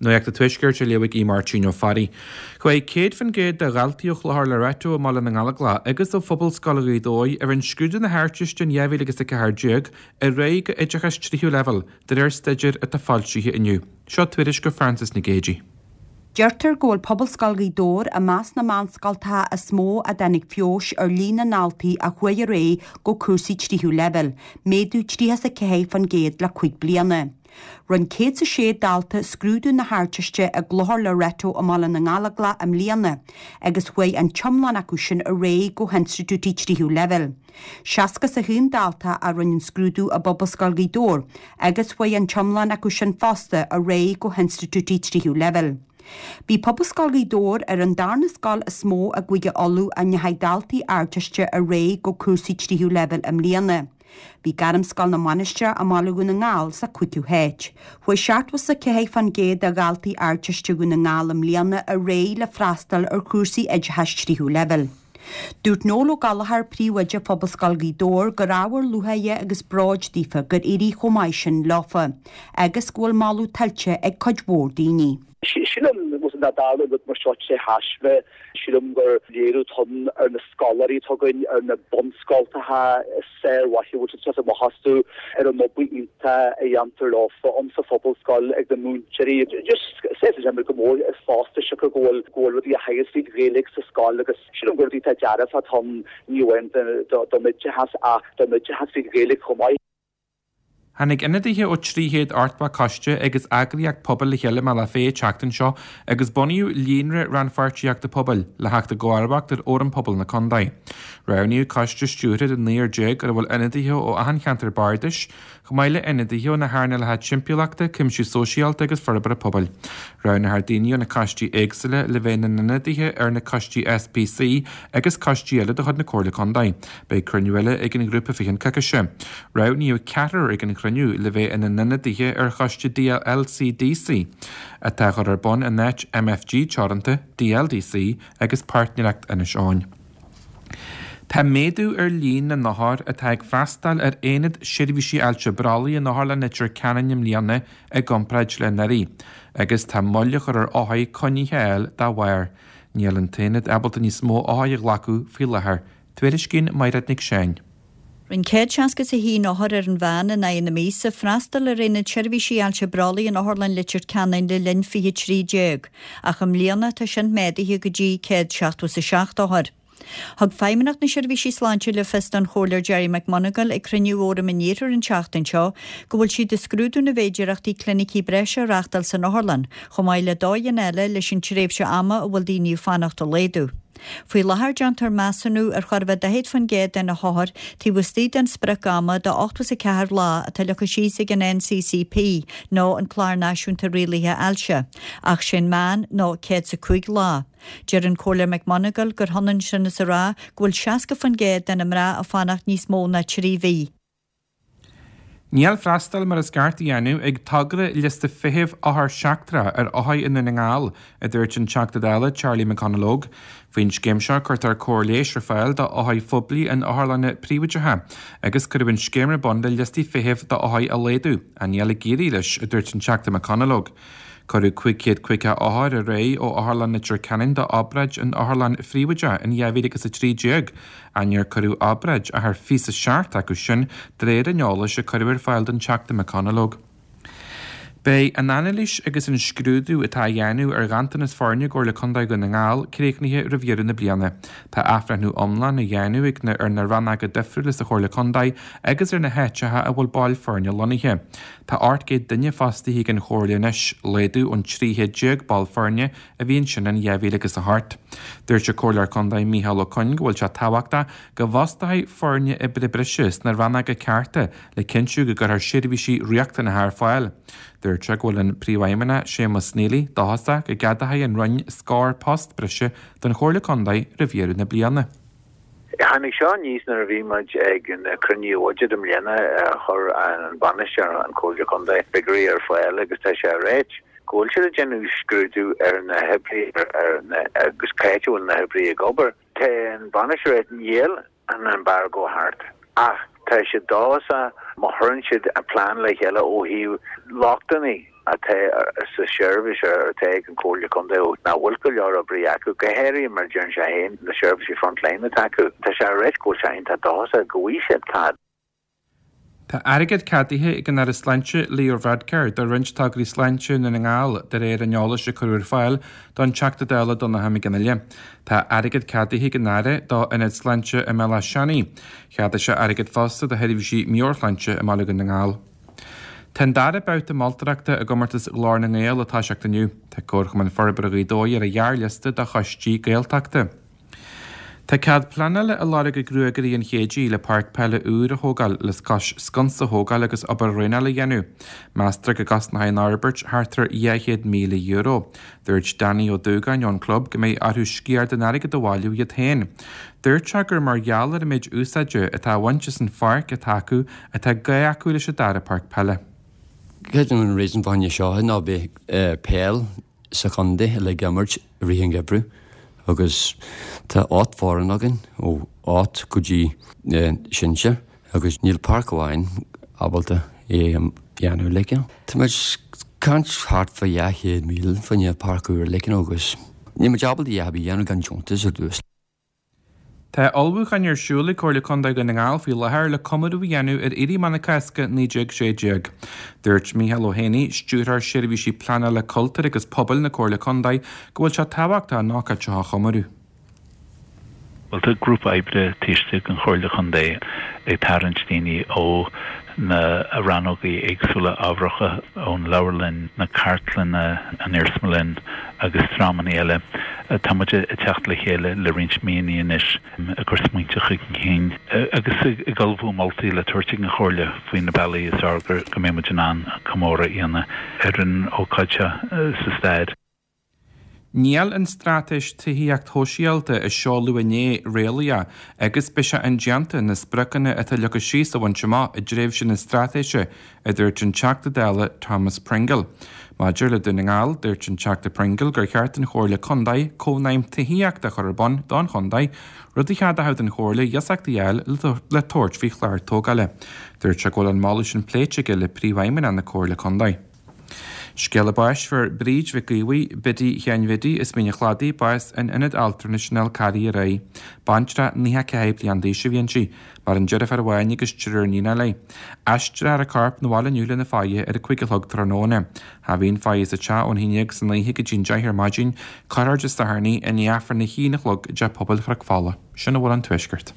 Nuacht an Tuaiscirt á léamh ag Aodh Máirtín Ó Fearraigh. Chuaigh 100% de dhaltaí ó Chlochar Loreto i mBaile na nGallóglach agus ó Phobalscoil Ghaoth Dobhair a rinne scrúdú na hArdteiste in 2014 ar aghaidh go oideachas tríú leibhéal, de réir staidéir atá foilsithe inniu. Seo tuairisc ó Frances Nic Géadaigh. Deirtear go bhfuil Pobalscoil Ghaoth Dobhair i measc na meánscoltacha is mó a dtáinig feabhas ar líon na ndaltaí a chuaigh ar aghaidh go cúrsaí tríú leibhéal, méadú 34% le 5 bliana. Rinne 106 dalta scrúdú na hArdteiste i gClochar Loreto i mBaile na nGallóglach i mbliana agus chuaigh an t-iomlán acu sin ar aghaidh go hinstitiúidí tríú leibhéal. 61 dalta a rinne an scrúdú i bPobalscoil Ghaoth Dobhair agus chuaigh an t-iomlán acu sin fosta ar aghaidh go hinstitiúidí tríú leibhéal. Bhí Pobalscoil Ghaoth Dobhair ar an darna scoil is mó i gCúige Uladh a ndeachaigh daltaí Ardteiste ar aghaidh go cúrsaí tríú leibhéal i mbliana. Bhí Gairmscoil na Mainistreach i mBaile Dhún na nGall sa chúigiú háit. Chuaigh 74% de dhaltaí Ardteiste Dhún na nGall i mbliana ar aghaidh le freastal ar chúrsaí oideachais tríú leibhéal. Dúirt Noel Ó Gallchóir, príomhoide Phobalscoil Ghaoth Dobhair, gur ábhar lúcháire agus bróid daofa gur éirigh chomh maith sin leofa agus go bhfuil moladh tuillte ag cuid mhór daoine. Sílim nach dtarlaíonn rud mar seo tré thaisme. Sílim gur léiriú atá ann ar na scoláirí atá againn, ar na bunscoltacha sármhaithe a bhfuil siad ag teacht amach astu, ar an obair iontach a dhéantar leofa ann sa phobalscoil ag na múinteoirí. Just sásaíonn sé go mór fosta siocair go bhfuil go bhfuil rudaí á theagasc trí Ghaeilge sa scoil agus sílim gur rudaí atá dearfach atá ann ní amháin don oideachas ach don oideachas trí Ghaeilge chomh maith. Tháinig ionadaithe ó 380 coiste agus eagraíocht pobail le chéile i mBealach Féich an tseachtain seo agus bunaíodh Líonra Rannpháirtíochta Pobail le theacht i gcomharbacht ar Fhóram Pobail na Condae. Roghnaíodh coiste stiúrtha de naonúr ar a bhfuil ionadaithe ó achan cheantar bardais, chomh maith le ionadaithe ó na hearnálacha timpeallachta, cuimsiú sóisialta agus forbartha pobail. Roghnófar daoine ó na coistí éagsúla le bheith ina n-ionadaithe ar na coistí SPC agus coistí eile de chuid na Comhairle Contae. Beidh cruinniú eile ag an ghrúpa fé cheann coicíse. Roghnaíodh ceathrar ag an chruinniú le bheith ina n-ionadaithe ar choiste DLCDC, atá á chur ar bun in áit MFG Teoranta, DLDC agus Páirtnéireacht Inis Eoghain. Tá méadú ar líon na n-othar atá ag freastal ar Aonad Seirbhísí Ailse Brollaigh in Otharlann Leitir Ceanainn i mbliana i gcomparáid le anuraidh, agus tá moill á chur ar othair coinne a fháil dá bharr. Níl an t-aonad ábalta níos mó othair a ghlacadh faoi láthair. Tuairiscíonn Mairéad Nic Seáin. Rinne 161 othar ar an mheán in aghaidh na míosa freastal ar Aonad Seirbhísí Ailse Brollaigh in Otharlann Leitir Ceanainn le linn 2013, ach i mbliana tá sin méadaithe go dtí 177 othar. Thug Feidhmeannacht na Seirbhísí Sláinte le fios don Chomhairleoir Gerry McMonagall ag cruinniú Fhóram an Iarthair an tseachtain seo go bhfuil siad ag scrúdú na bhféidearthachtaí clinicí breise a reáchtáil san otharlann, chomh maith le dóigheanna eile leis an tréimhse ama a bhfuil daoine ag fanacht a laghdú. Faoi láthair déantar measúnú ar chóir a bheith 40% de na hothair taobh istigh den sprioc-ama de 84 lá atá leagtha síos ag an NCCP nó an Clár Náisiúnta Rialaithe Ailse, ach sé'n meán ná 105 lá. Deir an Comhairleoir McMonagall gur hionann sin is a rá go bhfuil 60% de na mná ag fanacht níos mó ná 3 mhí. Níl freastal mar is ceart á dhéanamh ag togra liosta feithimh othar seachtrach ar othair i nDún na nGall, a dúirt an Teachta Dála Charlie McConalogue. Faoin scéim seo cuirtear cóir leighis ar fáil d'othair phoiblí in otharlanna príobháideacha agus cuireadh an scéim ar bun le liostaí feithimh d'othair a laghdú, ach níl ag éirí leis, a dúirt an Teachta McConalogue. Cuireadh 550 othar ar aghaidh ó Otharlann Leitir Ceanainn d'obráid in otharlann phríobháideach in 2013, Ach níor cuireadh obráid ach ar 27 acu sin de réir an eolais a cuireadh ar fáil don Teachta McConalogue. Beidh an anailís agus an scrúdú atá á dhéanamh ar ghanntanas foirne i gComhairle Contae Dhún na nGall críochnaithe roimh dheireadh na bliana. Tá athbhreithniú iomlán á dhéanamh ag na ar na rannóga difriúla sa Chomhairle Contae agus ar na háiteacha a bhfuil baill foirne lonnaithe. Tá 800 duine fostaithe ag an Chomhairle anois, laghdú ón 13 chéad ball foirne a bhí ansin in 2008. Dúirt an Comhairleoir Contae Micheál Ó Coinn go bhfuil sé tábhachtach go bhfostófaí foirne oibre breise sna rannóga cearta le cinntiú go gcuirfear seirbhísí riachtanacha ar fáil. Dúirt sé go bhfuil an Príomhfheidhmeannach Séamus Neely dóchasach go gceadóidh an Roinn scór post breise don Chomhairle Contae roimh dheireadh na bliana. Tháinig seo aníos nuair a bhí muid ag an cruinniú bhuiséid i mbliana. Chuir an bainisteoir, an Comhairle Contae, figiúirí ar fáil agus tá sé ag ráit go bhfuil siad ag déanamh scrúdú ar na hoibrithe ar na agus cá háit a bhfuil na hoibrithe ag obair. Tá an bainisteoir ag níl an embargo thart ach tá siad dóchasach má chuireann siad an plean le chéile ó thaobh lochtanna. atá sa seirbhís atá ag an Chomhairle Contae nach bhfuil go leor oibrithe acu, go háirithe mar a deireann sé féin, na seirbhísí frontline atá acu. Tá sé ag ráit go bhfuil sé iontach dóchasach go bhfaighidh siad cead. Tá airgead ceadaithe ag an Aire Sláinte Leo Varadkar do roinnt tograí sláinte i nDún na nGall, de réir an eolais a cuireadh ar fáil don Teachta Dála Donncha McGinley. Tá airgead ceadaithe ag an Aire do Ionad Sláinte i mBealach Seanaidh. Cheadaigh sé airgead fosta do sheirbhísí meabhairshláinte i mBaile Dhún na nGall. Tá an dara babhta moltóireachta i gcomórtas Ghlór na nGael ag toiseacht inniu. Tá Comharchumann Forbartha Ghaoth Dobhair ar an ghearrliosta do choistí Gaeltachta. Tá cead pleanála á lorg ag Gruagairí an Chéidigh le páirc peile úr a thógáil le cois sconsa a thógáil agus obair dhraenála a dhéanamh. Meastar go gcosnóidh an fhorbairt thart ar €200,000. Dúirt Danny Ó Dúgáin ón gclub go mbeidh orthu sciar den airgead a bhailiú iad féin. Dúirt sé gur mar gheall ar an méid úsáide atá á bhaint as an pháirc atá acu atá gá acu leis an dara páirc peile. Creidim an reason fá choinne seo ná beidh peil sa chontae uilig á imirt i rith an gheimhridh agus tá 8 foireann againn ó 8 go dtí sinsir agus níl páirc amháin ábalta é a dhéanamh like. Tá muid ag caint thart fá 200,000 fá choinne páirc úr like agus níl muid ábalta a dhath ar bith a dhéanamh gan deontas ar dtús. Tá ullmhúcháin ar siúl ag Comhairle Contae Dhún na nGall faoi láthair le comóradh a dhéanamh ar Éirí Amach na Cásca 1916. Dúirt Mícheál Ó hÉanaí, Stiúrthóir Seirbhísí Pleanála Cultúir agus Pobail na Comhairle Contae, go bhfuil sé tábhachtach an ócáid seo a chomóradh. Bhuel, tá grúpa oibre taobh istigh den Chomhairle Contae ag tarraingt daoine ó na rannógaí éagsúla ábharacha, ón leabharlann, na cartlanna, an iarsmalann agus dreamanna eile. Tá muid ag teacht le chéile le roinnt míonna anois ag cur smaointe chun cinn agus ag ullmhú moltaí le tabhairt ag an Chomhairle faoi na bealaí is fearr go mbeidh muid in ann comóradh a dhéanamh ar an ócáid seo sa stair. Níl an straitéis tithíocht shóisialta a seoladh inné réalaíoch agus beidh sé indéanta na spriocanna atá leagtha síos a bhaint amach i dtréimhse na straitéise, a dúirt an Teachta Dála Thomas Pringle. Maidir le Dún na nGall, dúirt an Teachta Pringle gur cheart don Chomhairle Contae cónaidhm tithíochta a chur ar bun don chontae, rud a cheadódh don Chomhairle iasacht a fháil le tabhairt faoi chlár tógála. Dúirt sé go bhfuil an moladh sin pléite aige le Príomhfheidhmeannach na Comhairle Contae. Scéala báis Fuair Bríd Mhic Aodha, Biddy Sheáin Bhiddy, as Mín an Chladaigh, bás in Ionad Altranais an Fhál Carraigh aréir. Baintreach 94 bliain d'aois a bhí inti. Maireann deirfiúr amháin agus triúr iníonacha léi. Aistreofar a corp 'na bhaile inniu lena faire ar a 5 a chlog tráthnóna. Tha bhí an faire sa teach ón haon dhéag san oíche go dtí an 10 ar maidin. Cuirfear Dé Sathairn í i ndiaidh Aifreann a haon a chlog i dTeach Pobail Chnoc Fola. Sin a bhfuil ón Tuaisceart.